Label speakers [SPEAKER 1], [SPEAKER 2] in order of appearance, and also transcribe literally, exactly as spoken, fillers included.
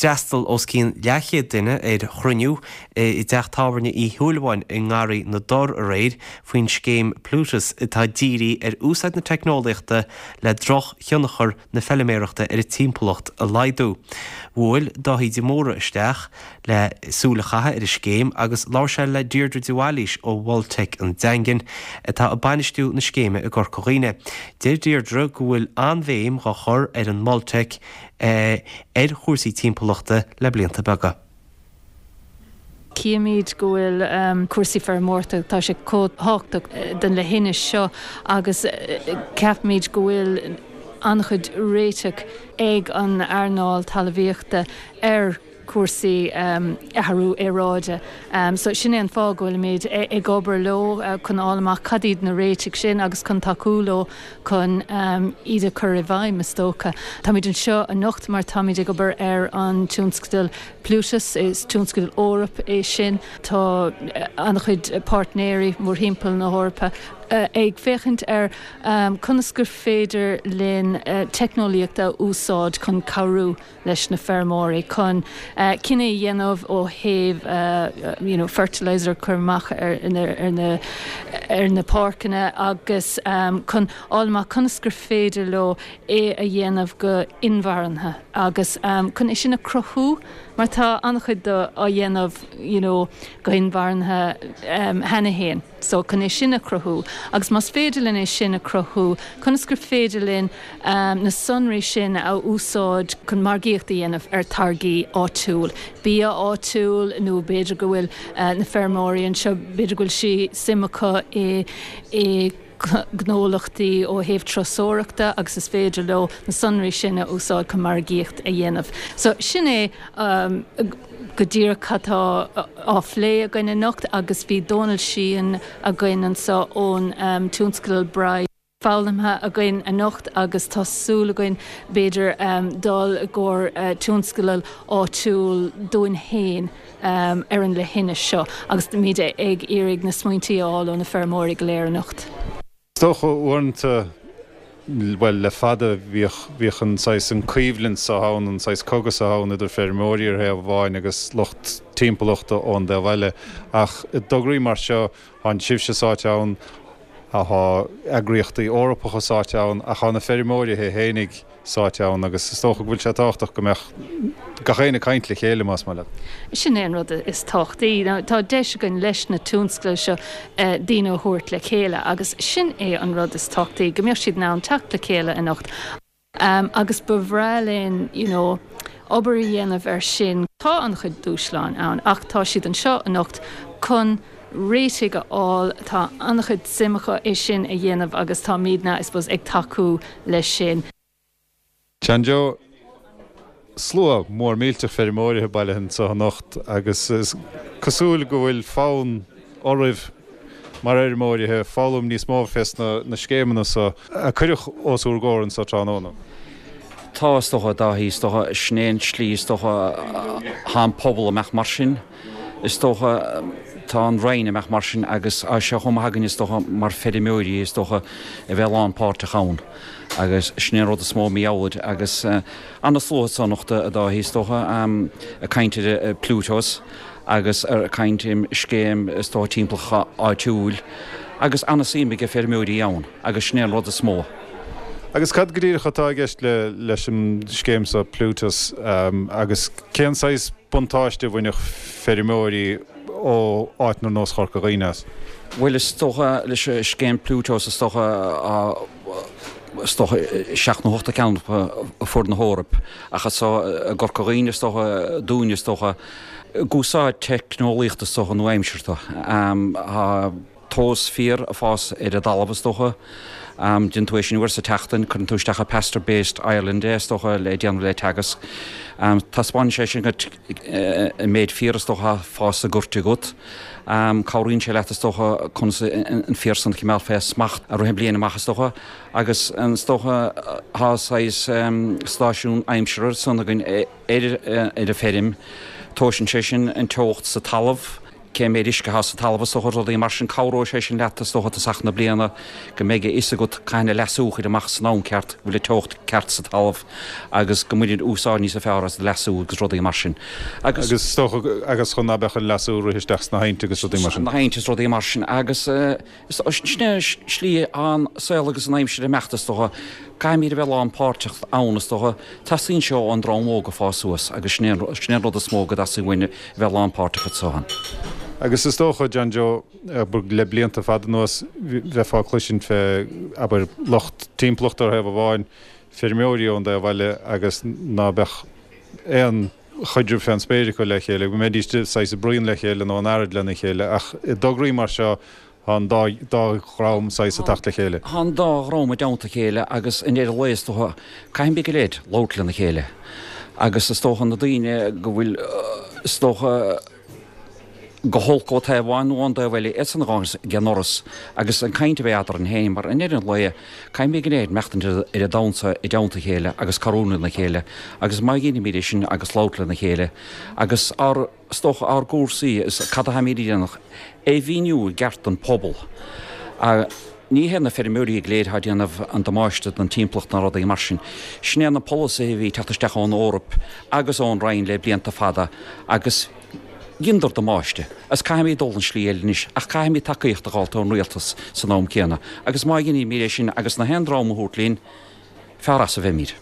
[SPEAKER 1] D'fhreastail os cionn leathchéad duine ar chruinniú i dteach tábhairne Uí Shúilleabháin i nGarraí na dTor aréir faoin scéim Plutus atá dírithe ar úsáid na teicneolaíochta le drochthionchar na feilméarachta ar an timpeallacht a laghdú. Bhuail Dáithí de Mórdha isteach le súil a chaitheamh ar an scéim agus labhair sé le Deirdre de Bhailís ó Mhol Teic an Daingin atá ag bainistiú na scéime i gCorca Dhuibhne. Deir Deirdre go bhfuil an-bhéim á chur ag an Mol Teic eh, ar chúrsaí timpeallachta le blianta beaga.
[SPEAKER 2] Címid go bhfuil um, cúrsaí feirmeoireachta tá sé chomh tábhachtach eh, den leithinis seo agus eh, ceapaimid go bhfuil an-chuid réiteach ag an earnáil talmhaíochta ar cúrsaí um, athrú aeráide. Um, so sin é an fáth go bhfuilimid ag obair leo uh, chun fháil amach cad iad na réitigh sin agus chun tacú leo chun um, iad a chur i bhfeidhm is dócha. Táimid anseo anocht mar táimid ag obair ar an tionscadal Plutus is tionscadal Eorpach é sin tá uh, an-chuid páirtnéirí mórthimpeall na hEorpa uh, ag féachaint ar um, conas gur féidir linn uh, teicneolaíocht a úsáid chun cabhrú leis na feirmeoirí chun uh, cinneadh a dhéanamh ó thaobh uh, you know, fertilizer chur amach ar, ar, ar, na, ar na páirceanna agus um, chun fháil amach conas gur féidir leo é a dhéanamh go inmharthana agus um, chun é sin a chruthú mar tá an-chuid de á dhéanamh you know, go hinmharthana um, cheana féin. So chun é sin a chruthú, agus más féidir linn é sin a chruthú, conas gur féidir linn um, na sonraí sin a úsáid chun margaíocht a dhéanamh ar táirgí áitiúil. Bia áitiúil nó b'fhéidir go bhfuil uh, na feirmeoirí anseo b'fhéidir go bhfuil sí suim acu i i gnólachtaí ó thaobh turasóireachta agus is féidir leo na sonraí sin a úsáid chun margaíocht a dhéanamh. So sin é um, go díreach atá á phlé againn anocht agus bhí Dónal Sheehan againn anseo ón um, tionscadal Bride. Foghlamtha againn anocht agus tá súil againn b'fhéidir um, dul i gcomhair uh, tionscadal áitiúil dúinn féin um, ar an leithinis seo agus muid ag iarraidh na smaointe a fháil ó na feirmeoirí go léir anocht.
[SPEAKER 3] Is dócha uaireanta well le fada bhíodh an saghas an choimhlint seo ann an saghas cogadh seo ann idir feirmeoirí ar thaobh amháin agus lucht timpeallachta ón dtaobh eile ach i dtograí mar seo tá sibhse sáite ann tá eagraíochtaí Eorpacha sáite ann ach tá na feirmeoirí féinig sáite ann agus is dócha go bhfuil sé tábhachtach go mbeadh gach éinne ag caint le chéile más maith leat.
[SPEAKER 2] Sin é an rud is tábhachtaí. Tá deis againn leis na tionscadail seo eh, daoine a thabhairt le chéile agus sin é an rud is tábhachtaí go mbeadh siad in ann teacht le chéile anocht. Um, agus ba bhreá linn you know, obair a dhéanamh ar sin tá an-chuid dúshlán ann ach tá siad anseo anocht chun réitigh a fháil tá an-chuid suim acu é sin a dhéanamh agus táimidne I suppose ag tacú leis sin.
[SPEAKER 3] Sean-Joe slua mór millteach feirmeoirí bailithe anseo anocht agus is cosúil go bhfuil fonn oraibh mar fheirmeoirí foghlaim níos mó fés na, na scéimeanna seo a cuireadh os ár gcomhair anseo tráthnóna.
[SPEAKER 4] Tá is dócha Dáithí is dócha sin é an tslí is dócha tá an pobal amach mar sin. Is dócha tá an Roinn amach mar sin agus a se chom hagan is dócha mar feirmeoirí is dócha a bheith lánpháirteach ann. agus sin é rud is mó míáid agus uh, an-slua anocht a Dáithí is dócha um, ag caint ar Plutus agus ar caint im scéim is dócha timpeallachta áitiúil agus an-suim ag feirmeoirí ann agus sin é an rud is mó.
[SPEAKER 3] Agus cad go díreach atá i gceist le leis an scéim seo Plutus um, agus cén saghas buntáiste a bhainfeadh feirmeoirí ó áit ar nós Chorca Dhuibhne as.
[SPEAKER 4] Bhuel is dócha leis scéim Plutus is dócha is dócha seacht nó ocht gceann ar fud na hEorpa ach so i gCorca Dhuibhne is dócha dúinne is dócha ag úsáid teicneolaíocht is dócha nua-aimseartha. Um, tomhas féir ag fás ar an dtalamh is dócha. Um, Déanann tú é sin uair sa tseachtain cuireann tú isteach Pasture Based Ireland é is dócha le déanamh le Teagasc. Um, Taispeánann sé sin go an méid féir is dócha ag fás sa ghort agat. Um, Cabhraíonn sé leat is dócha conas an féar san a choinneáil fé smacht i rith na bliana amach is dócha, agus an is dócha tá saghas um, stáisiún aimsire san againn ar ar a feirm, Tomhaiseann sé sin an teocht sa talamh. cé méid uisce atá sa talamh is dócha, rudaí mar sin, cabhróidh sé sin leat is dócha tosach na bliana go mbeidh a fhios agat cathain an leasú a chur amach san am ceart, go bhfuil an teocht ceart sa talamh agus go mbaineann úsáid níos fearr as do leasú agus rudaí mar sin.
[SPEAKER 3] Agus is dócha agus chun ná beadh an leasú ag rith isteach sna hainte agus rudaí mar sin.
[SPEAKER 4] Na hainte is rudaí mar sin agus is sin é slí an saol agus an aimsir ag imeacht is dócha. Caithfimid a bheith lánpháirteach ann is dócha. Teastaíonn seo ón dream óg ag fás suas agus sin é an rud is mó go dteastaíonn uainn a bheith lánpháirteach anso ann.
[SPEAKER 3] Agus is dócha, John Joe, abair le blianta fada anuas bheifeá ag cloisint fé, abair, lucht timpeallachta ar thaobh amháin, feirmeoirí ón dtaobh eile agus ná beadh aon chaidreamh fén spéir acu le chéile, go mbeidís saghas ag bruíon le chéile nó in earraid lena chéile ach i dtograí mar seo tá an dá dhream saghas ag teacht le chéile.
[SPEAKER 4] Tá an dá dhream i dteannta a chéile agus i ndeireadh lae is dócha caithfimid go léir labhairt lena chéile agus is dócha na daoine go bhfuil is dócha go holc ó taobh amháin nó ón dtaobh eile iadsan a ghabhann ag an ndoras agus an caint a bheith eadrainn féin mar i ndeireadh an lae caithfimid go léir maireachtaint ar an domhan seo i dteannta a chéile agus cabhrú lena chéile agus má dheinimid é sin agus labhairt lena chéile agus ár is dócha ár gcúrsaí is cad atáimid a dhéanamh é mhíniú i gceart don phobal. Ní hé na feirmeoirí go léir atá ag déanamh an damáiste don timpeallacht ná rudaí mar sin. Sin é na polasaithe a bhí ag teacht isteach ón Eoraip agus ón Roinn le blianta fada agus dheineadar damáiste. Is caithfimid dul an slí eile anois ach caithfimid tacaíocht a dh'fháilt ón rialtas san am céanna agus má dheinimid é sin agus na haon dream a thabhairt linn, fearr as a bheimid.